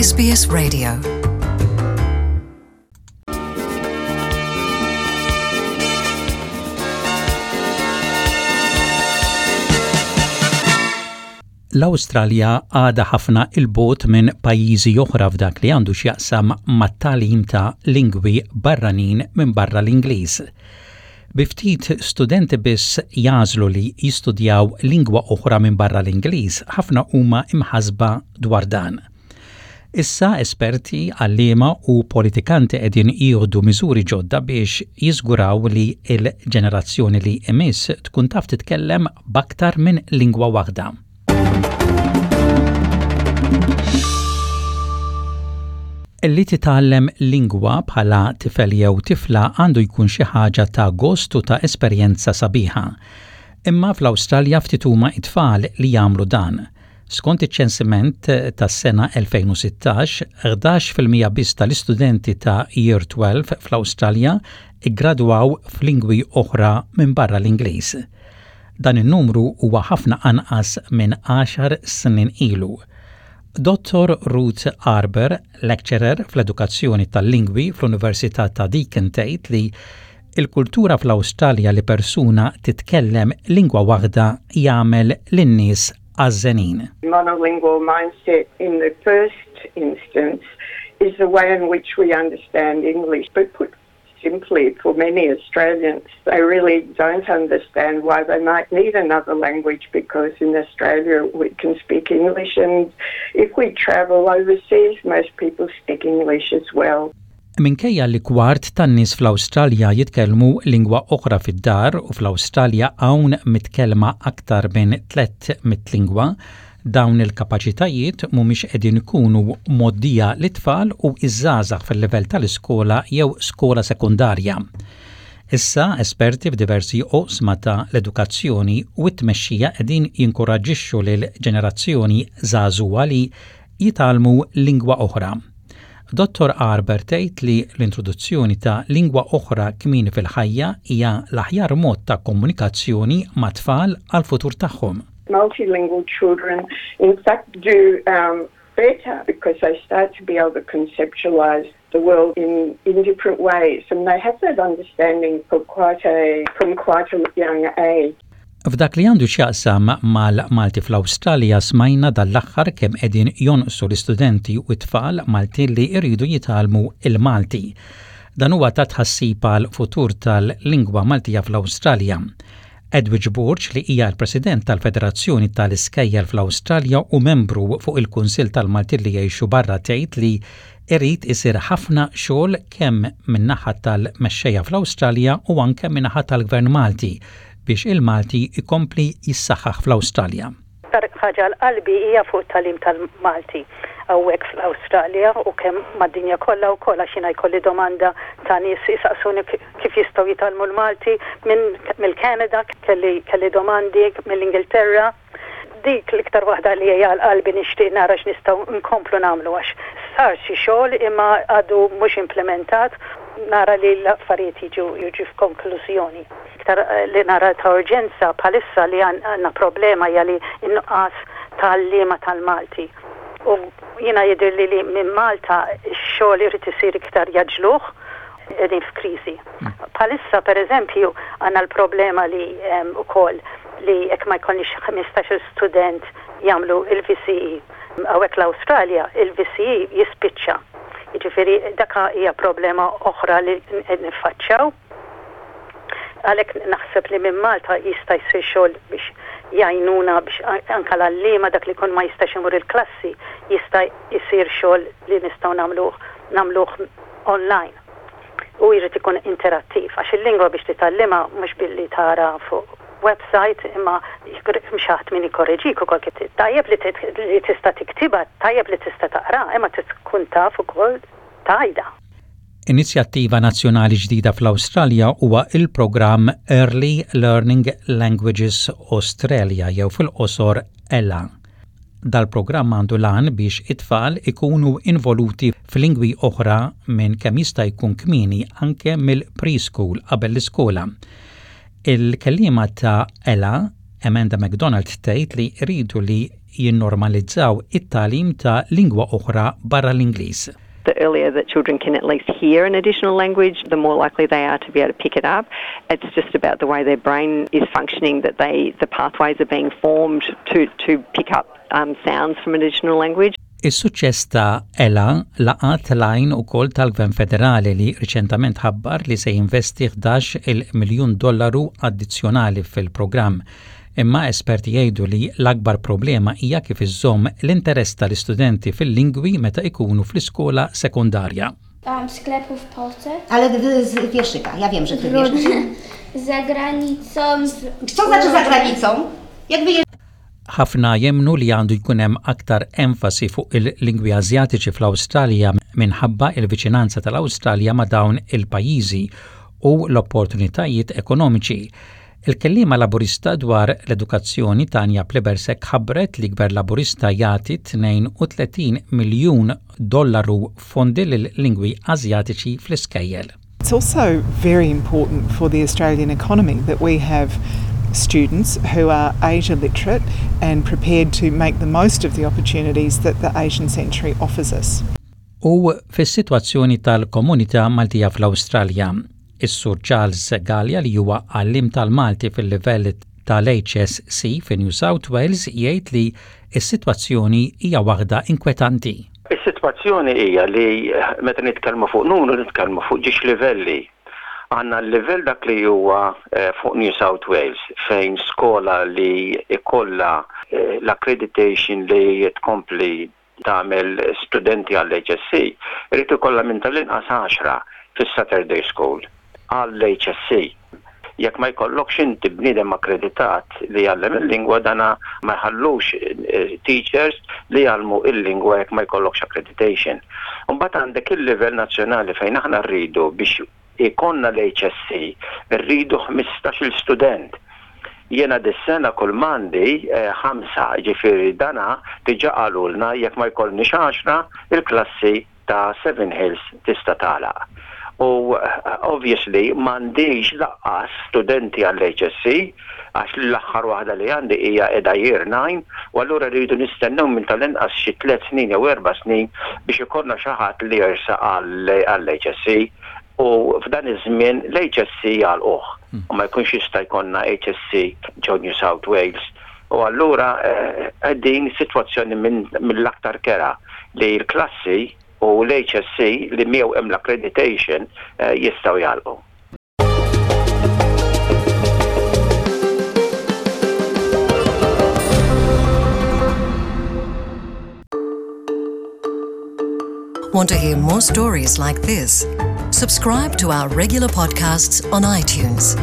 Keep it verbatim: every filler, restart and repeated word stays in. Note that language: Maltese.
S B S Radio. L-Awstralja għadha ħafna 'l bogħod minn pajjiżi oħra f'dak li għandu x'jaqsam mat-tagħlim ta' lingwi barranin minn barra l-Ingliż. Bi ftit studenti biss jagħżlu li jistudjaw lingwa oħra minn barra l-Ingliż, ħafna huma imħasba dwar dan. Issa esperti, għalliema u politikanti qegħdin jieħdu miżuri ġodda biex jiżguraw li l-ġenerazzjoni li imiss tkun taf titkellem b'aktar minn lingwa waħda. Li titgħallem lingwa bħala tifel jew tifla għandu jkun xi ħaġa ta' gost u ta' esperjenza sabiħa. Imma fl-Awstralja ftit huma it-tfal li jagħmlu dan. Skont iċ-ċensiment tas-sena elfejn u sittax, ħdax fil-mija biss tal-istudenti ta' Year tnax fl-Awstralja iggradwaw f'lingwi oħra minn barra l-Ingliż. Dan in-numru huwa ħafna anqas minn għaxar snin ilu. Dottor Ruth Arber, lecturer fl-edukazzjoni tal-lingwi fl-Università ta' Deakin, tgħid li il-kultura fl-Awstralja li persuna titkellem lingwa waħda jagħmel lin-nies għażżenin. Monolingual mindset in the first instance is the way in which we understand English. But put simply, for many Australians, they really don't understand why they might need another language, because in Australia we can speak English, and if we travel overseas, most people speak English as well. Minkejja li kwart tan-nies fl-Awstralja jitkellmu lingwa oħra fid-dar u fl-Awstralja hawn mitkellma aktar minn tliet mitt lingwa, dawn il-kapaċitajiet mhumiex qegħdin ikunu mgħoddija lit-tfal u iż-żgħażagħ fil-livell tal-iskola jew skola sekundarja. Issa esperti f'diversi oqsma ta' l-edukazzjoni u t-tmexxija qegħdin jinkoraġġixxu lil ġenerazzjoni żagħżugħa li jitgħallmu lingwa oħra. Dottor Arber tgħid li l-introduzzjoni ta' lingwa oħra kmieni fil-ħajja hija l-aħjar mod ta' komunikazzjoni ma' tfal għal-futur tagħhom. Multilingual children, in fact, do um, better because they start to be able to conceptualize the world in, in different ways, and they have that understanding for quite a, from quite a young age. F'dak li għandu x'jaqsam mal-Malti fl-Awstralja, smajna dal-aħħar kemm qegħdin jonqsu l-istudenti u t-tfal Maltin li jridu jitgħallmu il-Malti. Dan huwa ta' tħassib għal futur tal-lingwa Maltija fl-Awstralja. Edwidge Borg, li hija l-President tal-Federazzjoni tal-Iskejjel fl-Awstralja u membru fuq il-Kunsill tal-Maltin li jgħixu barra, tgħid li irid isir ħafna xogħol kemm min-naħa tal-mexxejja fl-Awstralja u anke min-naħa tal-Gvern Malti biex il-Malti ikompli jissaħħaħ fl-Awstralja. Ħaġa għal qalbi hija fuq tagħlim tal-Malti hawnhekk fl-Awstralja u kemm mad-dinja kollha wkoll, għax jiena jkolli domanda ta' nies jisaqsuni kif jistgħu jitgħallmu l-Malti minn mill-Kanada, kelli kelli domandi mill-Ingilterra. Dik l-iktar waħda li hija għal qalbi, nixtieq nara x'nistgħu nkomplu nagħmlu, għax sar xi xogħol imma għadu mhux implementat, nara li l-affarijiet jiġu jiġu f'konklużjoni. Iktar li nara ta' urġenza bħalissa li għandna problema hija li n-nuqqas tal-għalliema tal-Malti. U jiena jidher li li minn Malta x-xogħol irid isir iktar jgħaġġluh, qegħdin f'kriżi. Bħalissa, per eżempju, għandna l-problema li ukoll li jekk ma jkollniex ħmistax-il student jagħmlu il-V C E. Hawnhekk l-Awstralja il-V C E jispiċċa. Jiġifieri daka hija problema oħra li niffaċċjaw. Għalhekk naħseb li minn Malta jista' jsir xogħol biex jgħinuna biex anka l-għalliema, dak li kun ma jistax imur il-klassi, jista' jsir xogħol li nistgħu nagħmluh nagħmluh online. U jrid ikun interattiv, għax il-lingwa biex titgħallimha mhux billi tara fuq website, imma xi ħadd min ikorreġik ukoll kif tajjeb li tista' tiktibha, tajjeb li tista' taqra, imma tkun taf ukoll tgħidha. Inizjattiva nazzjonali ġdida fl-Awstralja huwa il-programm Early Learning Languages Australia, jew fil-qosor ELLA. Dal-programm għandu l-għan biex it-tfal ikunu involuti f'lingwi oħra minn kemm jista' jkun kmieni, anke mill-preschool, qabel l-iskola. Il-kellima ta' ELLA, Amanda McDonald, tgħid li jridu li jinnormalizzaw it-tagħlim ta' lingwa oħra barra l-Ingliż. The earlier that children can at least hear an additional language, the more likely they are to be able to pick it up. It's just about the way their brain is functioning that they the pathways are being formed to, to pick up um, sounds from an additional language. Is-suċċess ta' Ella laqat l-għajn ukoll tal-Gvern Federali li riċentament ħabbar li se jinvesti ħdax-il miljun dollaru addizzjonali fil-programm. Imma esperti jgħidu li l-akbar problema hija kif iżżomm l-interess tal-istudenti fil-lingwi meta ikunu fl-iskola sekondarja. Um, sklepów Polce. Ale z wierszyka, ja wiem, że ty wiesz. Za granicą. Z... Co znaczy za granicą? Jak wyjeżdżasz? Ħafna jemmnu li għandu jkun hemm aktar enfasi fuq il-lingwi Azjatiċi fl-Awstralja minħabba il-viċinanza tal-Awstralja ma' dawn il-pajjiżi u l-opportunitajiet ekonomiċi. Il-kellima Laburista dwar l-edukazzjoni Tanya Plibersek ħabbret li gvern Laburista jagħti tnejn u tletin miljun dollaru fondi lil-lingwi Azjatiċi fl-iskejjel. It's also very important for the Australian economy that we have students who are Asia literate and prepared to make the most of the opportunities that the Asian century offers us. U fis-sitwazzjoni tal-komunità Maltija fl-Awstralja, is-Sur Charles Gallia, li huwa għallim tal-Malti fil-livell tal-H S C fi New South Wales, jgħid li s-sitwazzjoni hija waħda inkwetanti. Is-sitwazzjoni hija li meta nitkellmu fuq numru, nitkellmu fuq żewġ livelli. Għandna l-livell dak li huwa eh, fuq New South Wales, fejn skola li ikolla eh, l-accreditation li tkompli tagħmel studenti għall-H S C, irid ikollha minn tal-inqas għaxra fis-Saturday School għall-H S C. Jekk ma jkollokx inti bniedem akkreditat li jgħallem il-lingwa, dana ma jħallux eh, teachers li jgħallmu il-lingwa jekk ma jkollokx accreditation. Mbagħad għandek il-livell nazzjonali fejn aħna rridu, biex ikollna l-H S C, rridu ħmistax-il student. Jiena dis-sena kull m'għandi eh, ħamsa, ġifieri dana diġà qalulna jekk ma jkollniex għaxra, il-klassi ta' Seven Hills tista' tagħlaq. U eh, obviously m'għandix lanqas studenti għall-H S C għax l-aħħar waħda li għandi hija qiegħda year nine, u allura rridu nistennew minn tal-inqas xi tliet snin jew erba' snin biex ikollna xi ħadd li jersaq għall-H S C, u f'dan iż-żmien l-H S C jagħlquh u ma jkunx jista' jkollna H S C ġo New South Wales. U allura qegħdin sitwazzjoni mill-aktar kerha li l-klassi u l-H S C li miegħu hemm l-accreditation eh, jistgħu jagħlqu. Want to hear more stories like this? Subscribe to our regular podcasts on iTunes.